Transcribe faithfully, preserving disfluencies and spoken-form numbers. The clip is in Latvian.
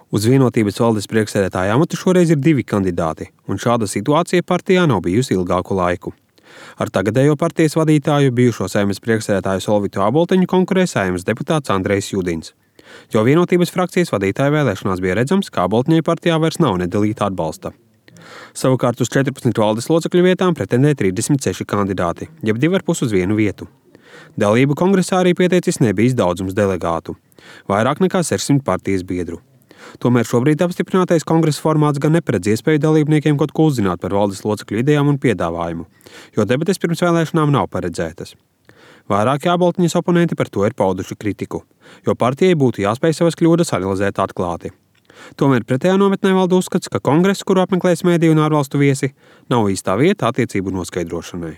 Uz Vienotības valdes priekšsēdētāja amatu šoreiz ir divi kandidāti, un šāda situācija partijā nav bijusi ilgāku laiku. Ar tagadējo partijas vadītāju, bijušo Saeimas priekšsēdētāju Solvitu Āboltiņu konkurē Saeimas deputāts Andrejs Judins. Jo Vienotības frakcijas vadītāja vēlēšanās bija redzams, ka Āboltiņai partijā vairs nav nedalīta atbalsta. Savukārt uz četrpadsmit valdes locekļu vietām pretendē trīsdesmit seši kandidāti, jeb divi ar pus uz vienu vietu. Dalību kongresā arī pieteicis nebijis daudzums delegātu, vairāk nekā sešsimt partijas biedru. Tomēr šobrīd apstiprinātais kongresa formāts gan neparedz iespēju dalībniekiem kaut ko uzzināt par valdes locekļu idejām un piedāvājumu, jo debates pirms vēlēšanām nav paredzētas. Vairāki Āboltiņas oponenti par to ir pauduši kritiku, jo partijai būtu jāspēj savas kļūdas analizēt atklāti. Tomēr pretējā nometnē valda uzskats, ka kongress, kuru apmeklēs mēdīju un ārvalstu viesi, nav īstā vieta attiecību noskaidrošanai.